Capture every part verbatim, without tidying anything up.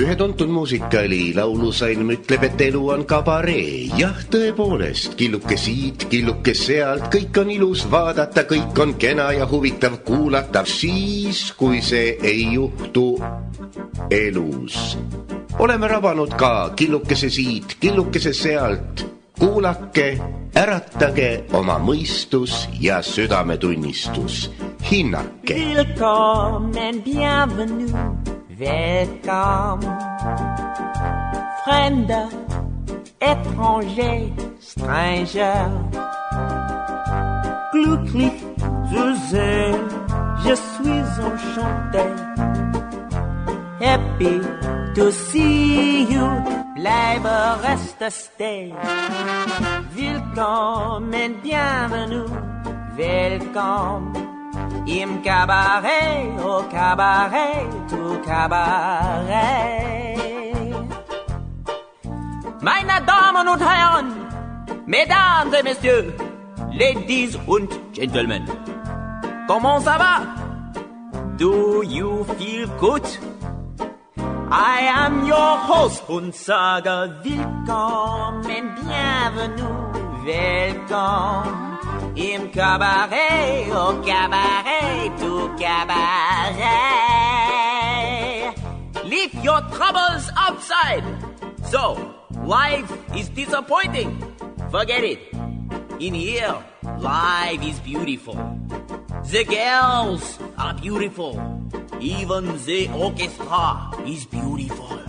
Ühe tuntud muusikaali laulusain ütleb, et elu on kabaree. Jah, tõepoolest, killuke siit, killuke sealt, kõik on ilus vaadata, kõik on kena ja huvitav kuulata. Siis, kui see ei juhtu elus. Oleme rabanud ka killukese siit, killukese sealt. Kuulake, äratage oma mõistus ja südametunnistus. Hinnake. Willkommen, bienvenue. Welcome, Fremder, étranger, stranger. Glücklich zu sehen, je suis enchanté. Happy to see you, bleibe, reste, stay. Willkommen, bienvenue, welcome. Im Cabaret, au Cabaret, tout Cabaret. Meine Damen und Herren, Mesdames et Messieurs, Ladies und Gentlemen, comment ça va? Do you feel good? I am your host und sage willkommen, bienvenue, welcome. Im Cabaret, au Cabaret, tout Cabaret. Leave your troubles outside. So, life is disappointing. Forget it. In here, life is beautiful. The girls are beautiful. Even the orchestra is beautiful.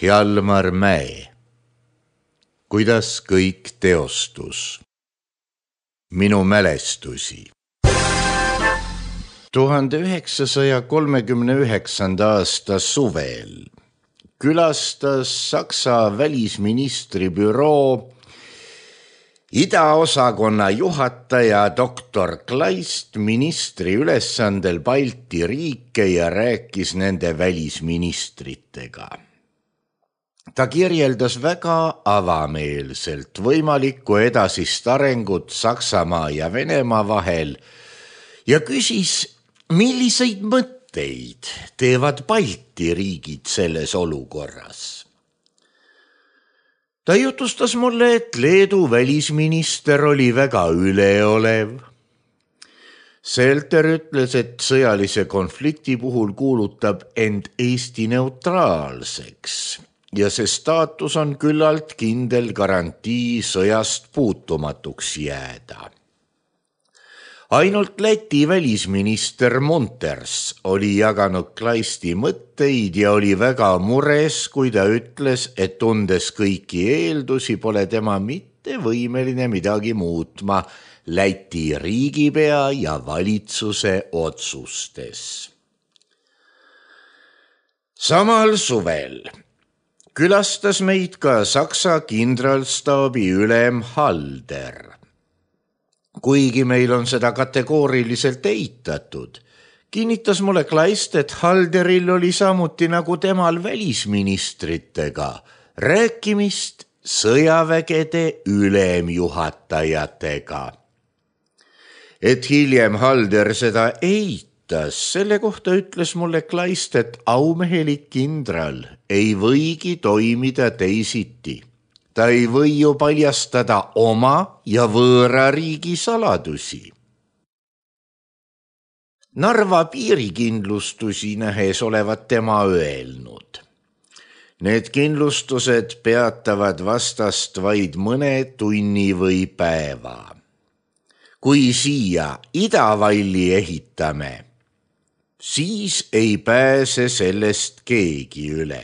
Hjalmar Mäe. Kuidas kõik teostus? Minu mälestusi. tuhande üheksasaja kolmekümne üheksanda aasta suvel külastas Saksa välisministri büroo idaosakonna juhataja doktor Kleist ministri ülesandel Balti riike ja rääkis nende välisministritega. Ta kirjeldas väga avameelselt võimalikku edasist arengut Saksamaa ja Venemaa vahel ja küsis, milliseid mõtteid teevad Balti riigid selles olukorras. Ta jutustas mulle, et Leedu välisminister oli väga üleolev. Selter ütles, et sõjalise konflikti puhul kuulutab end Eesti neutraalseks ja see staatus on küllalt kindel garantii sõjast puutumatuks jääda. Ainult Läti välisminister Munters oli jaganud Kleisti mõtteid ja oli väga mures, kui ta ütles, et tundes kõiki eeldusi pole tema mitte võimeline midagi muutma Läti riigipea ja valitsuse otsustes. Samal suvel külastas meid ka Saksa kindralstaabi ülem Halder. Kuigi meil on seda kategooriliselt eitatud, kinnitas mulle Kleist, et Halderil oli samuti nagu temal välisministritega rääkimist sõjavägede ülemjuhatajatega. Et hiljem Halder seda eitas, selle kohta ütles mulle Kleist, et aumehelik kindral ei võigi toimida teisiti. Ta ei või ju paljastada oma ja võõra riigi saladusi. Narva piirikindlustusi nähes olevat tema öelnud. Need kindlustused peatavad vastast vaid mõne tunni või päeva. Kui siia idavalli ehitame, siis ei pääse sellest keegi üle.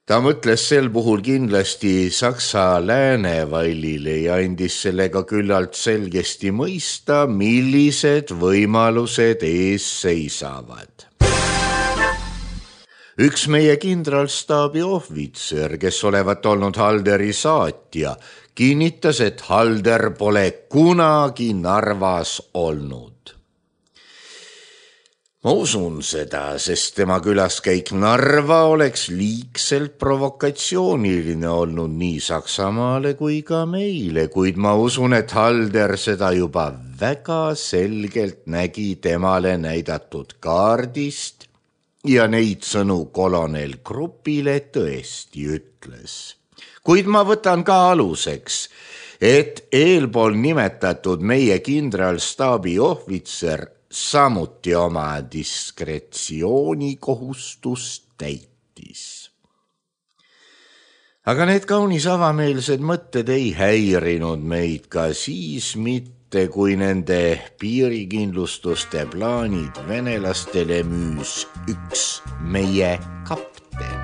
Ta mõtles sel puhul kindlasti Saksa läänevallile ja andis sellega küllalt selgesti mõista, millised võimalused ees seisavad. Üks meie kindralstaabi ohvitser, kes olevat olnud Halderi saatja, kinnitas, et Halder pole kunagi Narvas olnud. Ma usun seda, sest tema külaskäik Narva oleks liigselt provokatsiooniline olnud nii Saksamaale kui ka meile, kuid ma usun, et Halder seda juba väga selgelt nägi temale näidatud kaardist ja neid sõnu kolonel Grupile tõesti ütles. Kuid ma võtan ka aluseks, et eelpool nimetatud meie kindralstaabi ohvitser samuti oma diskretsiooni kohustust täitis. Aga need kaunis avameelsed mõtted ei häirinud meid ka siis mitte, kui nende piirikindlustuste plaanid venelastele müüs üks meie kapten.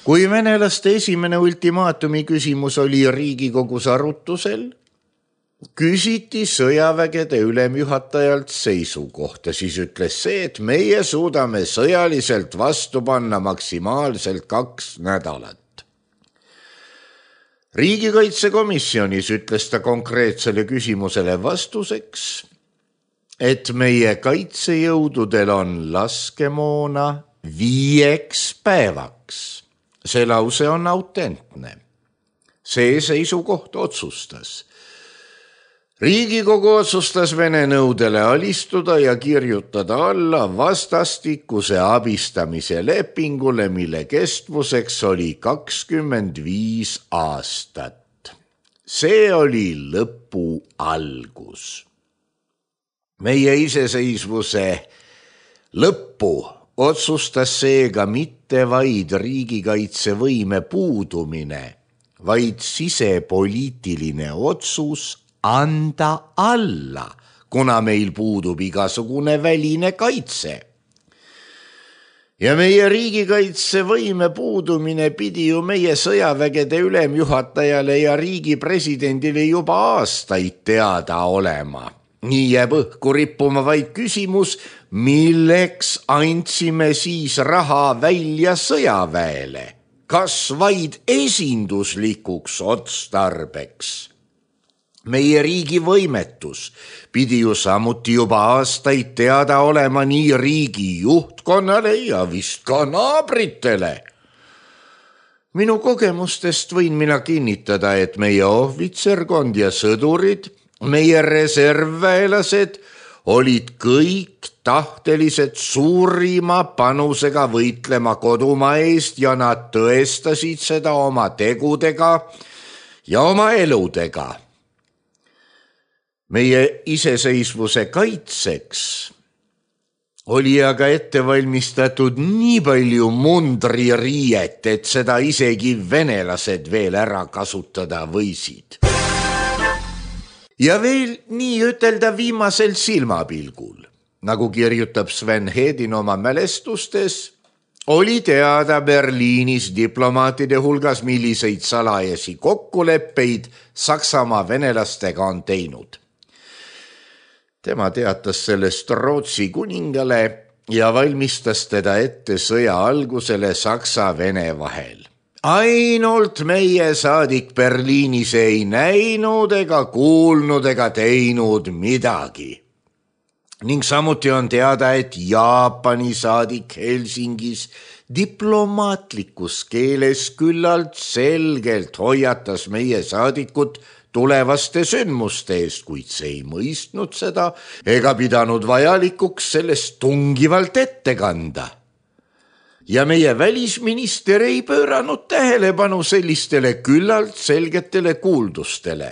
Kui venelaste esimene ultimaatumi küsimus oli Riigikogus arutusel, küsiti sõjavägede ülemjuhatajalt seisukohta, siis ütles see, et meie suudame sõjaliselt vastu panna maksimaalselt kaks nädalat. Riigikaitsekomisjonis ütles ta konkreetsele küsimusele vastuseks, et meie kaitsejõududel on laskemoona viieks päevaks. See lause on autentne. See seisukoht otsustas. Riigikogu otsustas Vene nõudele alistuda ja kirjutada alla vastastikuse abistamise lepingule, mille kestvuseks oli kakskümmend viis aastat. See oli lõpu algus. Meie iseseisvuse lõppu otsustas seega mitte vaid riigikaitsevõime puudumine, vaid sisepoliitiline otsus anda alla, kuna meil puudub igasugune väline kaitse. Ja meie riigikaitsevõime puudumine pidi ju meie sõjavägede ülemjuhatajale ja riigi presidendile juba aastaid teada olema. Nii jääb õhku rippuma vaid küsimus, milleks andsime siis raha välja sõjaväele, kas vaid esinduslikuks otstarbeks. Meie riigi võimetus pidi ju samuti juba aastaid teada olema nii riigi juhtkonnale ja vist ka naabritele. Minu kogemustest võin mina kinnitada, et meie ohvitserkond ja sõdurid, meie reservväelased olid kõik tahtelised suurima panusega võitlema kodumaa eest ja nad tõestasid seda oma tegudega ja oma eludega. Meie iseseisvuse kaitseks oli aga ette valmistatud nii palju mundririiet, et seda isegi venelased veel ära kasutada võisid. Ja veel nii ütelda viimasel silmapilgul, nagu kirjutab Sven Hedin oma mälestustes, oli teada Berliinis diplomaatide hulgas, milliseid salajasi kokkuleppeid Saksamaa venelastega on teinud. Tema teatas sellest Rootsi kuningale ja valmistas teda ette sõja algusele Saksa-Vene vahel. Ainult meie saadik Berliinis ei näinud ega kuulnud ega teinud midagi. Ning samuti on teada, et Jaapani saadik Helsingis diplomaatlikus keeles küllalt selgelt hoiatas meie saadikut tulevaste sündmuste eest, kuid see ei mõistnud seda ega pidanud vajalikuks sellest tungivalt ette kanda. Ja meie välisminister ei pööranud tähelepanu sellistele küllalt selgetele kuuldustele.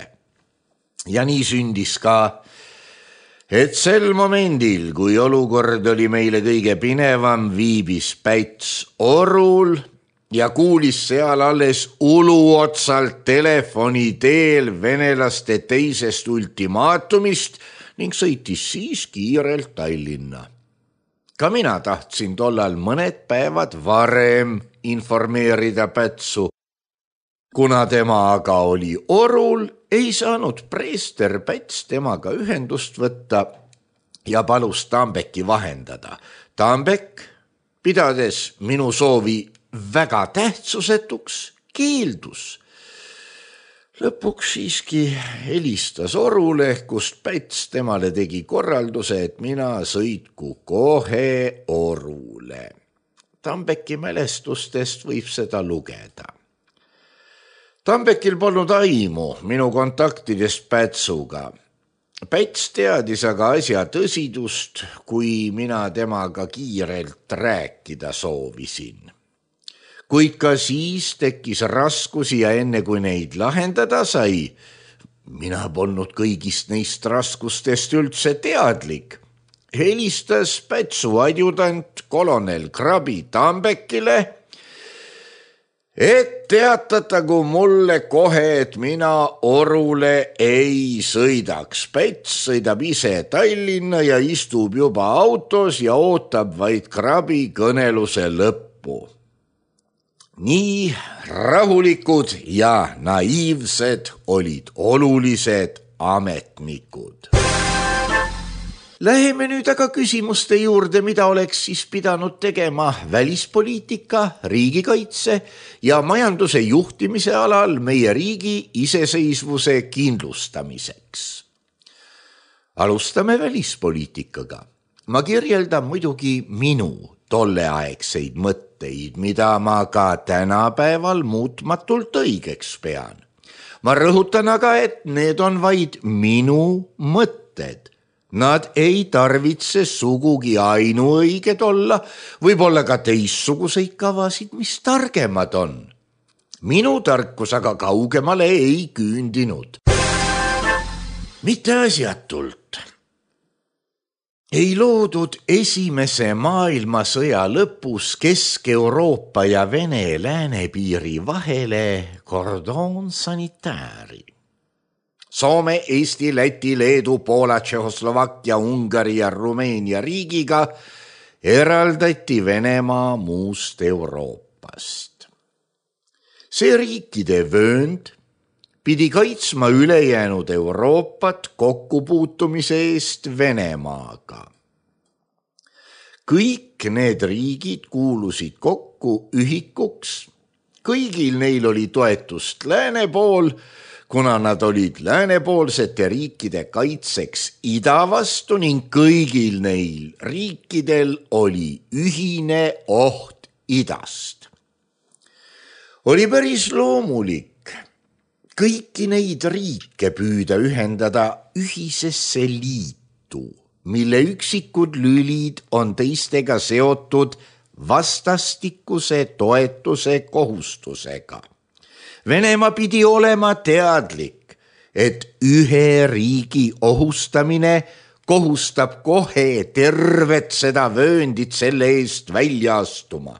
Ja nii sündis ka, et sel momendil, kui olukord oli meile kõige pinevam, viibis Päts Orul ja kuulis seal alles uluotsalt telefoni teel venelaste teisest ultimaatumist ning sõitis siis kiirelt Tallinna. Ka mina tahtsin tollal mõned päevad varem informeerida Pätsu. Kuna tema aga oli Orul, ei saanud preester Päts temaga ühendust võtta ja palus Tambeki vahendada. Tambek, pidades minu soovi väga tähtsusetuks, keeldus. Lõpuks siiski helistas Orule, kust Päts temale tegi korralduse, et mina sõitku kohe Orule. Tambeki mälestustest võib seda lugeda. Tambekil polnud aimu minu kontaktidest Pätsuga. Päts teadis aga asja tõsidust, kui mina temaga kiirelt rääkida soovisin. Kuid ka siis tekkis raskusi ja enne kui neid lahendada sai, mina polnud kõigist neist raskustest üldse teadlik. Helistas Pätsu adjudant kolonel Krabi Tambekile, et teatatagu mulle kohe, et mina Orule ei sõidaks. Päts sõidab ise Tallinna ja istub juba autos ja ootab vaid Krabi kõneluse lõppu. Nii rahulikud ja naiivsed olid olulised ametnikud. Läheme nüüd aga küsimuste juurde, mida oleks siis pidanud tegema välispoliitika, riigikaitse ja majanduse juhtimise alal meie riigi iseseisvuse kindlustamiseks. Alustame välispoliitikaga. Ma kirjeldan muidugi minu tolleaegseid mõtteid, mida ma ka tänapäeval muutmatult õigeks pean. Ma rõhutan aga, et need on vaid minu mõtted. Nad ei tarvitse sugugi ainuõiged olla, võib-olla ka teistsuguseid kavasid, mis targemad on. Minu tarkus aga kaugemale ei küündinud. Mitte asjatult. Ei loodud esimese maailmasõja lõpus Kesk-Euroopa ja Vene läänepiiri vahele kordon sanitääri. Soome, Eesti, Läti, Leedu, Poola, Tšehhoslovakkia, Ungari ja Rumeenia riigiga eraldati Venemaa muust Euroopast. See riikide vöönd pidi kaitsma ülejäänud Euroopat kokkupuutumise eest Venemaaga. Kõik need riigid kuulusid kokku ühikuks, kõigil neil oli toetust lääne pool, kuna nad olid läänepoolsete riikide kaitseks ida vastu ning kõigil neil riikidel oli ühine oht idast. Oli päris loomulik kõiki neid riike püüda ühendada ühisesse liitu, mille üksikud lülid on teistega seotud vastastikuse toetuse kohustusega. Venemaa pidi olema teadlik, et ühe riigi ohustamine kohustab kohe tervet seda vööndit selle eest välja astuma.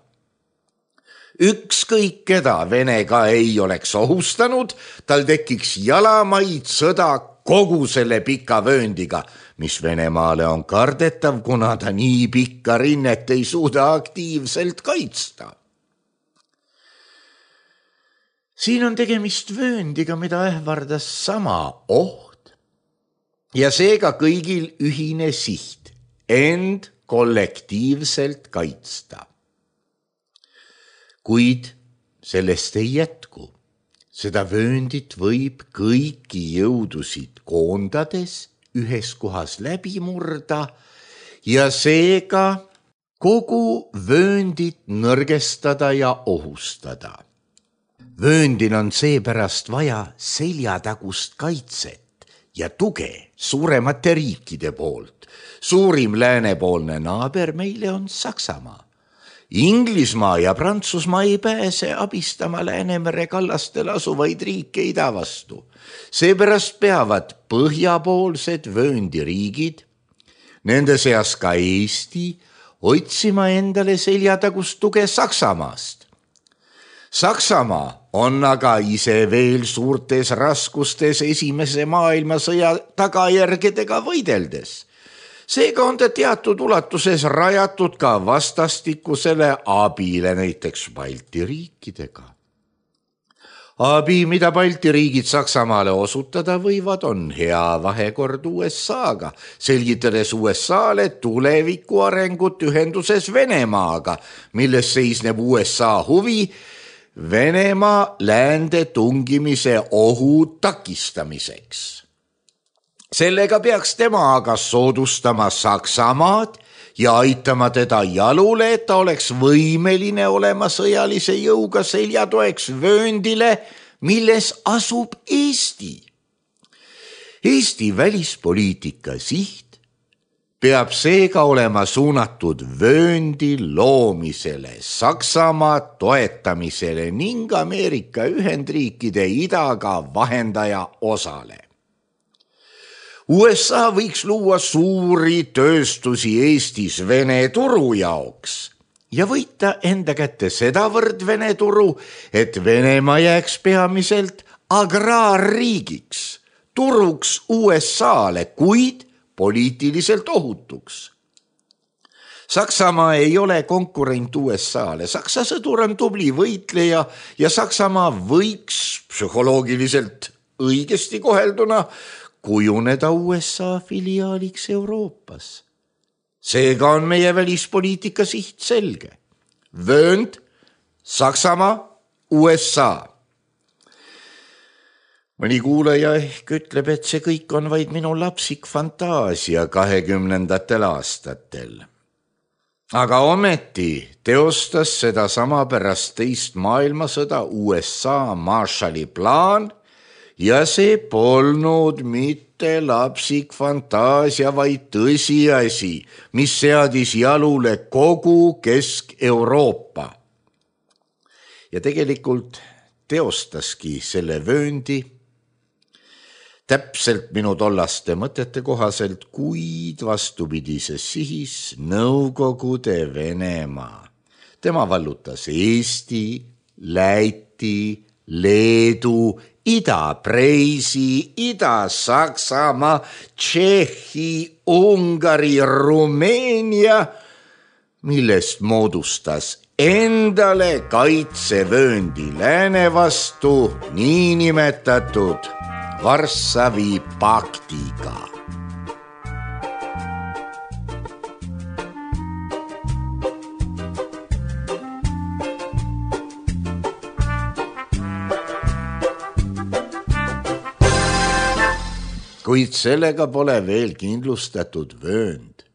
Ükskõik keda Venega ei oleks ohustanud, tal tekiks jalamaid sõda kogu selle pika vööndiga, mis Venemaale on kardetav, kuna ta nii pikka rinnet ei suuda aktiivselt kaitsta. Siin on tegemist vööndiga, mida ähvardas sama oht ja seega kõigil ühine siht, end kollektiivselt kaitsta. Kuid sellest ei jätku. Seda vööndit võib kõiki jõudusid koondades ühes kohas läbi murda ja seega kogu vööndit nõrgestada ja ohustada. Vööndil on seepärast vaja seljatagust kaitset ja tuge suuremate riikide poolt. Suurim läänepoolne naaber meile on Saksamaa. Inglismaa ja Prantsusmaa ei pääse abistama Läänemere kallastel asuvaid riike ida vastu. Seepärast peavad põhjapoolsed vööndiriigid, nende seas ka Eesti, otsima endale seljatagust tuge Saksamaast. Saksamaa on aga ise veel suurtes raskustes esimese maailmasõja tagajärgedega võideldes. Seega on ta teatud ulatuses rajatud ka vastastikusele abile näiteks Balti riikidega. Abi, mida Balti riigid Saksamaale osutada võivad, on hea vahekord U S A-ga, selgitades U S A-le tuleviku arengut ühenduses Venemaaga, milles seisneb U S A huvi Venemaa läände tungimise ohu takistamiseks. Sellega peaks tema aga soodustama Saksamaad ja aitama teda jalule, et ta oleks võimeline olema sõjalise jõuga seljatoeks vööndile, milles asub Eesti. Eesti välispoliitika siht peab seega olema suunatud vööndi loomisele, Saksamaa toetamisele ning Ameerika Ühendriikide idaga vahendaja osale. U S A võiks luua suuri tööstusi Eestis Vene turu jaoks ja võita enda kätte sedavõrd Vene turu, et Venemaa jääks peamiselt agraarriigiks, turuks U S A-le, kuid poliitiliselt ohutuks. Saksamaa ei ole konkurent U S A-le, Saksa sõdur on tubli võitleja ja Saksamaa võiks psühholoogiliselt õigesti kohelduna kujuneda U S A filiaaliks Euroopas. Seega on meie välispoliitika siht selge. Vöönd, Saksamaa, U S A. Mõni kuulaja ehk ütleb, et see kõik on vaid minu lapsik fantaasia kahekümnendatel aastatel. Aga ometi teostas seda sama pärast teist maailmasõda U S A Marshalli plaan ja see polnud mitte lapsik fantaasia, vaid tõsiasi, mis seadis jalule kogu Kesk-Euroopa. Ja tegelikult teostaski selle vööndi täpselt minu tollaste mõtete kohaselt, kuid vastupidises sihis Nõukogude Venemaa. Tema vallutas Eesti, Läti, Leedu, Ida-Preisi, Ida-Saksamaa, Tšehhi, Ungari, Rumeenia, millest moodustas endale kaitsevööndi lääne vastu niinimetatud Varssavi paktiga. Kuid sellega pole veel kindlustatud vöönd.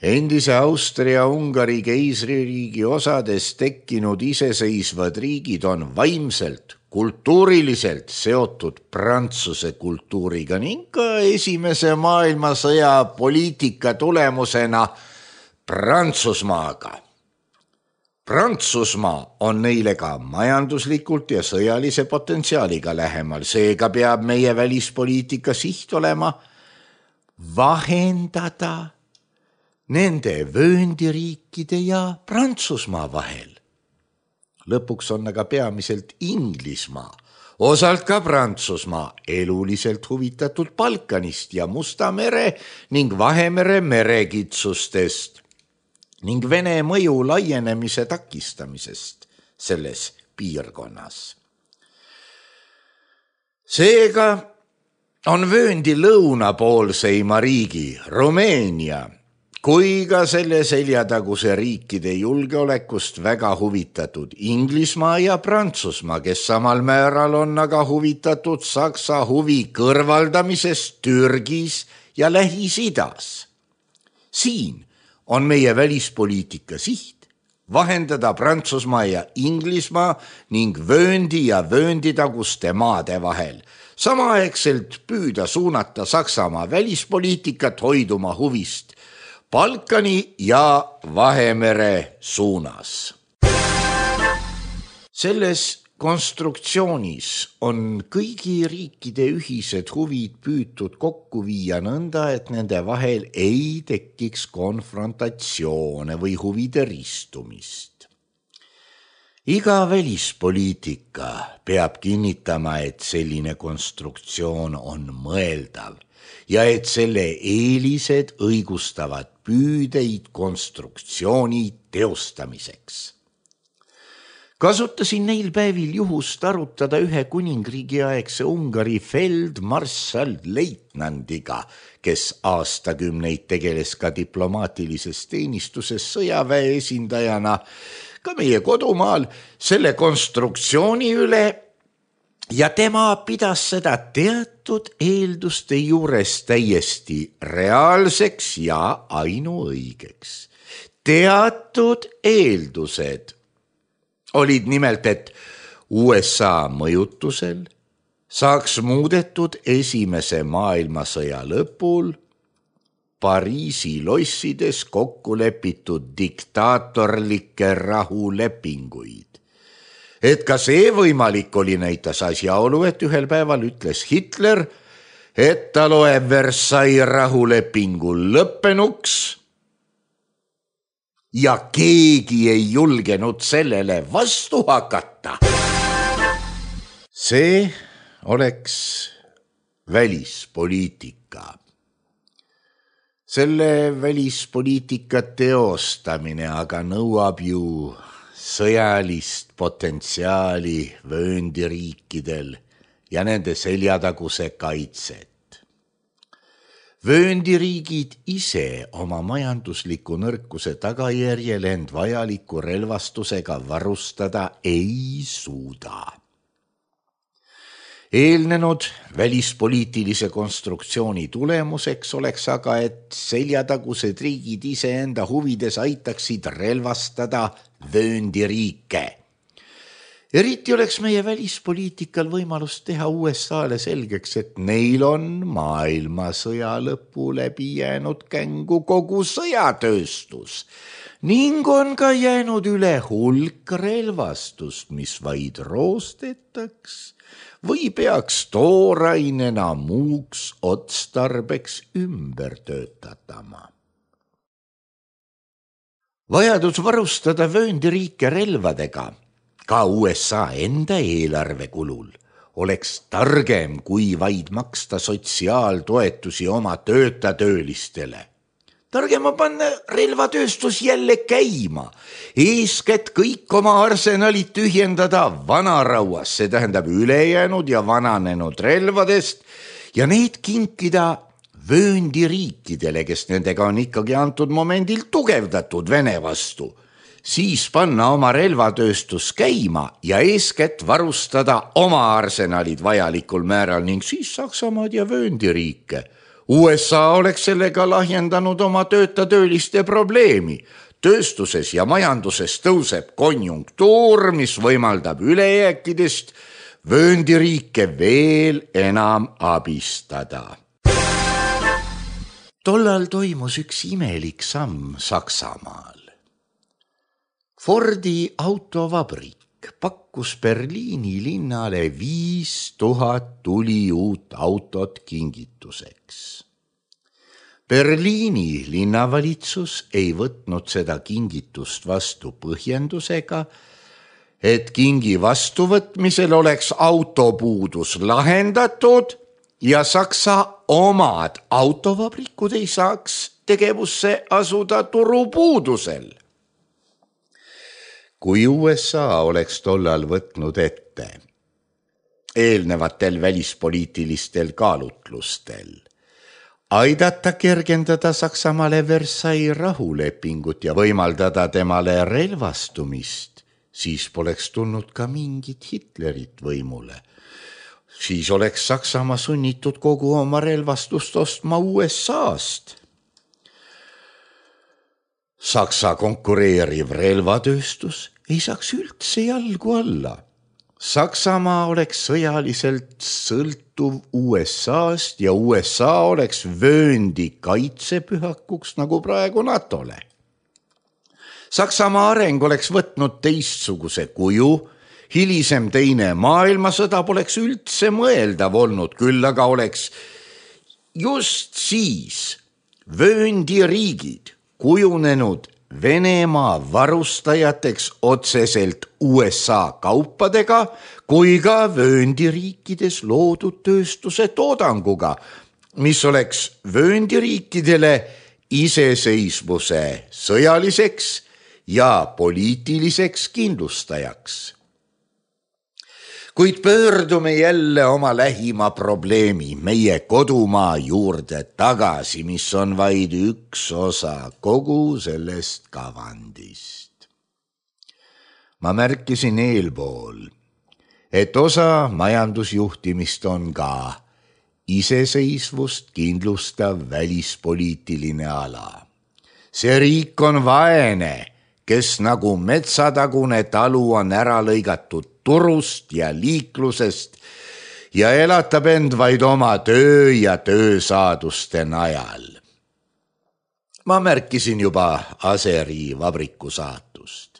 Endise Austria-Ungari keisririigi osades tekkinud iseseisvad riigid on vaimselt, kultuuriliselt seotud Prantsuse kultuuriga ning ka esimese maailmasõja poliitika tulemusena Prantsusmaaga. Prantsusmaa on neile ka majanduslikult ja sõjalise potentsiaaliga lähemal, seega peab meie välispoliitika siht olema vahendada nende vööndiriikide ja Prantsusmaa vahel. Lõpuks on aga peamiselt Inglismaa, osalt ka Prantsusmaa eluliselt huvitatud Balkanist ja Musta mere ning Vahemere merekitsustest ning Vene mõju laienemise takistamisest selles piirkonnas. Seega on vööndi lõunapoolseima riigi Rumeenia kui ka selle seljataguse riikide julgeolekust väga huvitatud Inglismaa ja Prantsusmaa, kes samal määral on aga huvitatud Saksa huvi kõrvaldamisest Türgis ja Lähis-Idas. Siin on meie välispoliitika siht vahendada Prantsusmaa ja Inglismaa ning vööndi ja vöönditaguste maade vahel, samaaegselt püüda suunata Saksamaa välispoliitikat hoiduma huvist Balkani ja Vahemere suunas. Selles konstruktsioonis on kõigi riikide ühised huvid püütud kokku viia nõnda, et nende vahel ei tekiks konfrontatsioone või huvide ristumist. Iga välispoliitika peab kinnitama, et selline konstruktsioon on mõeldav ja et selle eelised õigustavad püüdeid konstruktsiooni teostamiseks. kasutasin neil päevil juhust arutada ühe kuningriigi aegse Ungari feldmarssal leitnandiga, kes aastakümneid tegeles ka diplomaatilises teenistuses sõjaväe esindajana ka meie kodumaal selle konstruktsiooni üle ja tema pidas seda teatud eelduste juures täiesti reaalseks ja ainuõigeks. Teatud eeldused olid nimelt, et U S A mõjutusel saaks muudetud esimese maailmasõja lõpul Pariisi lossides kokku lepitud diktaatorlikke rahulepinguid. Et ka see võimalik oli, näitas asjaolu, et ühel päeval ütles Hitler, et ta loeb Versailles rahulepingu lõppenuks ja keegi ei julgenud sellele vastu hakata. See oleks välispoliitika. Selle välispoliitika teostamine aga nõuab ju sõjalist potentsiaali vööndiriikidel ja nende seljataguse kaitset. Vööndiriigid ise oma majandusliku nõrkuse tagajärjel end vajaliku relvastusega varustada ei suuda. Eelnenud välispoliitilise konstruktsiooni tulemuseks oleks aga, et seljatagused riigid iseenda huvides aitaksid relvastada vööndiriike. Eriti oleks meie välispoliitikal võimalus teha U S A-le selgeks, et neil on maailmasõja lõpu läbi jäänud kängu kogu sõjatööstus ning on ka jäänud üle hulk relvastust, mis vaid roostetaks või peaks toorainena muuks otstarbeks ümber töötatama. Vajadus varustada vööndiriike relvadega ka U S A enda eelarve kulul oleks targem kui vaid maksta sotsiaaltoetusi oma töötatöölistele. Targema panna relvatööstus jälle käima, eeskätt kõik oma arsenalid tühjendada vanarauas, see tähendab ülejäänud ja vananenud relvadest ja need kinkida vööndiriikidele, kes nendega on ikkagi antud momendil tugevdatud Vene vastu. Siis panna oma relvatööstus käima ja eeskätt varustada oma arsenalid vajalikul määral ning siis Saksamaad ja vööndiriike. U S A oleks sellega lahjendanud oma töötatööliste probleemi. Tööstuses ja majanduses tõuseb konjunktuur, mis võimaldab ülejääkidest vööndiriike veel enam abistada. Tollal toimus üks imelik samm Saksamaal. Fordi autovabrik pakkus Berliini linnale viis tuhat tuli uut autot kingituseks. Berliini linnavalitsus ei võtnud seda kingitust vastu põhjendusega, et kingi vastuvõtmisel oleks autopuudus lahendatud ja Saksa omad autovabrikud ei saaks tegevusse asuda turupuudusel. Kui U S A oleks tollal võtnud ette eelnevatel välispoliitilistel kaalutlustel aidata kergendada Saksamaale Versailles rahulepingut ja võimaldada temale relvastumist, siis poleks tulnud ka mingit Hitlerit võimule. Siis oleks Saksamaa sunnitud kogu oma relvastust ostma U S A-st. Saksa konkureeriv relvatööstus ei saaks üldse jalgu alla. Saksamaa oleks sõjaliselt sõltuv U S A-st ja U S A oleks vööndi kaitsepühakuks nagu praegu NATOle. Saksamaa areng oleks võtnud teistsuguse kuju, hilisem teine maailmasõda poleks üldse mõeldav olnud, küll aga oleks just siis vööndiriigid kujunenud Venemaa varustajateks otseselt U S A kaupadega kui ka vööndiriikides loodud tööstuse toodanguga, mis oleks vööndiriikidele iseseisvuse sõjaliseks ja poliitiliseks kindlustajaks. Kuid pöördume jälle oma lähima probleemi, meie kodumaa juurde tagasi, mis on vaid üks osa kogu sellest kavandist. Ma märkisin eelpool, et osa majandusjuhtimist on ka iseseisvust kindlustav välispoliitiline ala. See riik on vaene, kes nagu metsatagune talu on ära lõigatud turust ja liiklusest ja elatab end vaid oma töö ja töösaaduste najal. Ma märkisin juba Aseri vabriku saatust.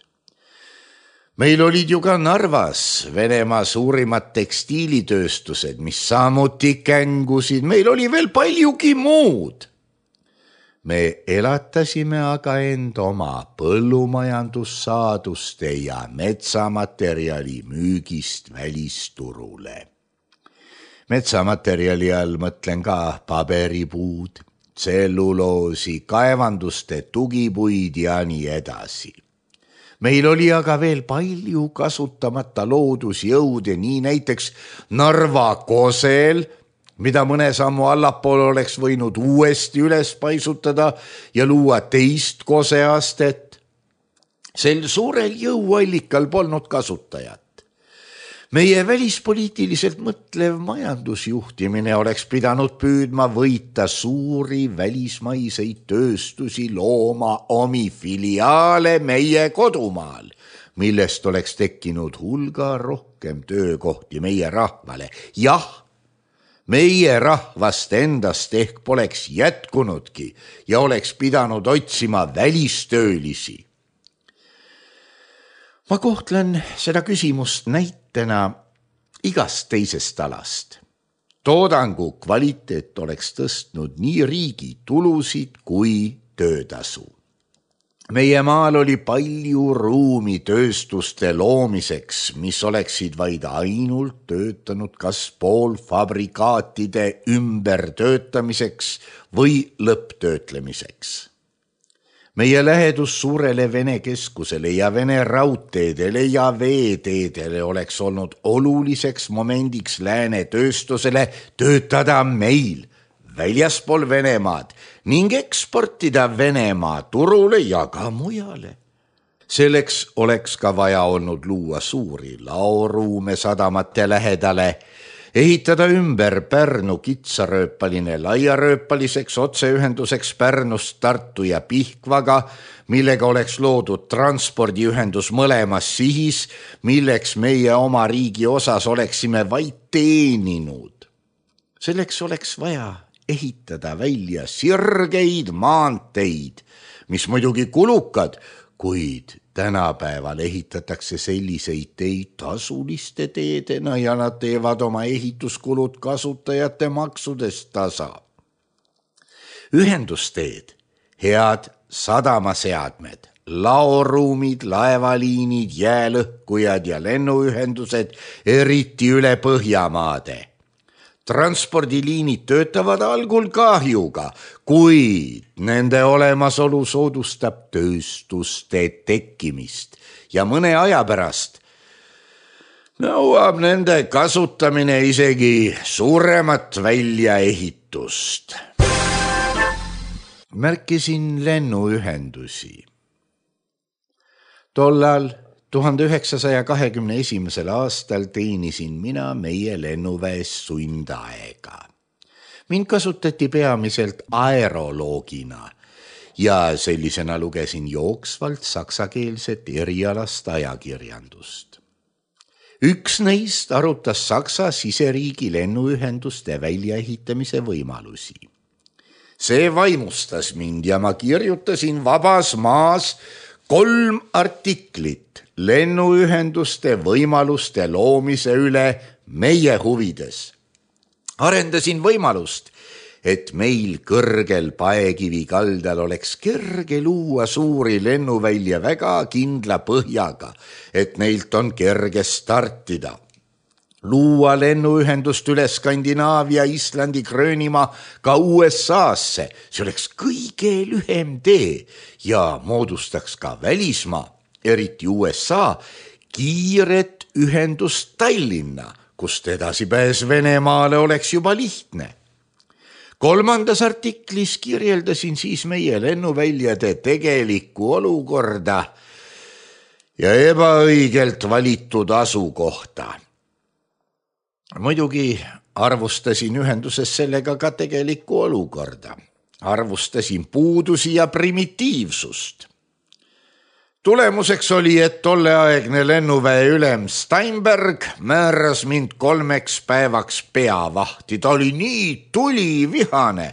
Meil olid ju ka Narvas Venemaa suurimad tekstiilitööstused, mis samuti kängusid. Meil oli veel paljugi muud. Me elatasime aga end oma põllumajandussaaduste ja metsamaterjali müügist välisturule. Metsamaterjali all mõtlen ka paberipuud, tselluloosi, kaevanduste tugipuid ja nii edasi. Meil oli aga veel palju kasutamata loodusjõude, nii näiteks Narva kosel, mida mõne sammu allapool oleks võinud uuesti üles paisutada ja luua teist koseastet. Sel suurel jõuallikal polnud kasutajat. Meie välispoliitiliselt mõtlev majandusjuhtimine oleks pidanud püüdma võita suuri välismaiseid tööstusi, looma omi filiaale meie kodumaal, millest oleks tekkinud hulga rohkem töökohti meie rahvale. Jah, meie rahvast endast ehk poleks jätkunudki ja oleks pidanud otsima välistöölisi. Ma kohtlen seda küsimust näitena igast teisest alast. Toodangu kvaliteet oleks tõstnud nii riigi tulusid kui töötasu. Meie maal oli palju ruumi tööstuste loomiseks, mis oleksid vaid ainult töötanud kas poolfabrikaatide ümbertöötamiseks või lõpptöötlemiseks. Meie lähedus suurele Vene keskusele ja Vene raudteedele ja veeteedele oleks olnud oluliseks momendiks lääne tööstusele töötada meil väljaspool Venemaad ning eksportida Venemaa turule ja ka mujale. Selleks oleks ka vaja olnud luua suuri laoruume sadamate lähedale, ehitada ümber Pärnu kitsarööpaline laiarööpaliseks otseühenduseks Pärnust Tartu ja Pihkvaga, millega oleks loodud transpordiühendus mõlemas sihis, milleks meie oma riigi osas oleksime vaid teeninud. Selleks oleks vaja ehitada välja sirgeid maanteid, mis muidugi kulukad, kuid tänapäeval ehitatakse selliseid teid tasuliste teedena ja nad teevad oma ehituskulud kasutajate maksudest tasa. Ühendusteed, head sadamaseadmed, laoruumid, laevaliinid, jäälõhkujad ja lennuühendused, eriti üle Põhjamaade. Transpordiliinid töötavad algul kahjuga, kuid nende olemasolu soodustab tööstuste tekkimist ja mõne aja pärast nõuab nende kasutamine isegi suuremat väljaehitust. Märkisin lennuühendusi. Tollal tuhande üheksasaja kahekümne esimesel aastal teenisin mina meie lennuväes sundaega. Mind kasutati peamiselt aeroloogina ja sellisena lugesin jooksvalt saksakeelset erialast ajakirjandust. Üks neist arutas Saksa siseriigi lennuühenduste väljaehitamise võimalusi. See vaimustas mind ja ma kirjutasin Vabas Maas kolm artiklit lennuühenduste võimaluste loomise üle meie huvides. Arendasin võimalust, et meil kõrgel Paekivi kaldal oleks kerge luua suuri lennuvälja väga kindla põhjaga, et neilt on kerge startida. luua lennuühendust üle Skandinaavia, Islandi, Gröönimaa ka U S A-sse. See oleks kõige lühem tee ja moodustaks ka välismaa, eriti U S A, kiiret ühendust Tallinna, kust edasipääs Venemaale oleks juba lihtne. Kolmandas artiklis kirjeldasin siis meie lennuväljade tegelikku olukorda ja ebaõigelt valitud asukohta. Muidugi arvustasin ühenduses sellega ka tegelikku olukorda. Arvustasin puudusi ja primitiivsust. Tulemuseks oli, et tolleaegne lennuväe ülem Steinberg määras mind kolmeks päevaks peavahti. Ta oli nii tulivihane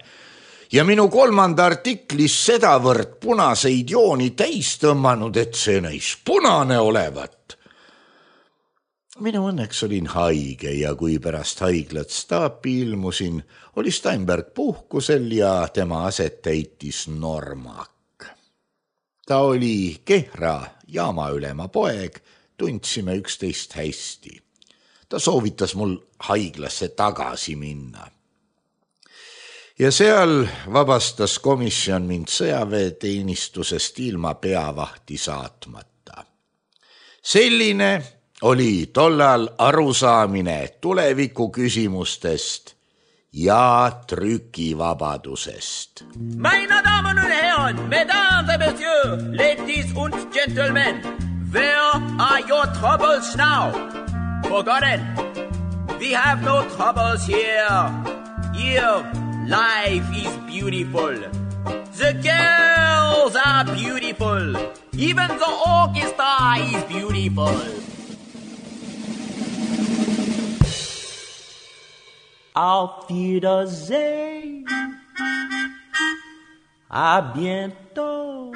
ja minu kolmanda artiklis sedavõrd punaseid jooni täis tõmmanud, et see näis punane olevat. Minu õnneks olin haige ja kui pärast haiglat staapi ilmusin, oli Steinberg puhkusel ja tema aset täitis Normak. Ta oli Kehra jaamaülema poeg, tundsime üksteist hästi. Ta soovitas mul haiglasse tagasi minna. Ja seal vabastas komisjon mind sõjaväeteenistusest ilma peavahti saatmata. Selline oli tollal arusaamine tuleviku küsimustest ja trükivabadusest. Meine Damen und Herren, Mesdames et Messieurs, ladies und gentlemen, where are your troubles now? Forgotten, we have no troubles here. Here, life is beautiful. The girls are beautiful. Even the orchestra is beautiful. Auf Wiedersehen. À bientôt.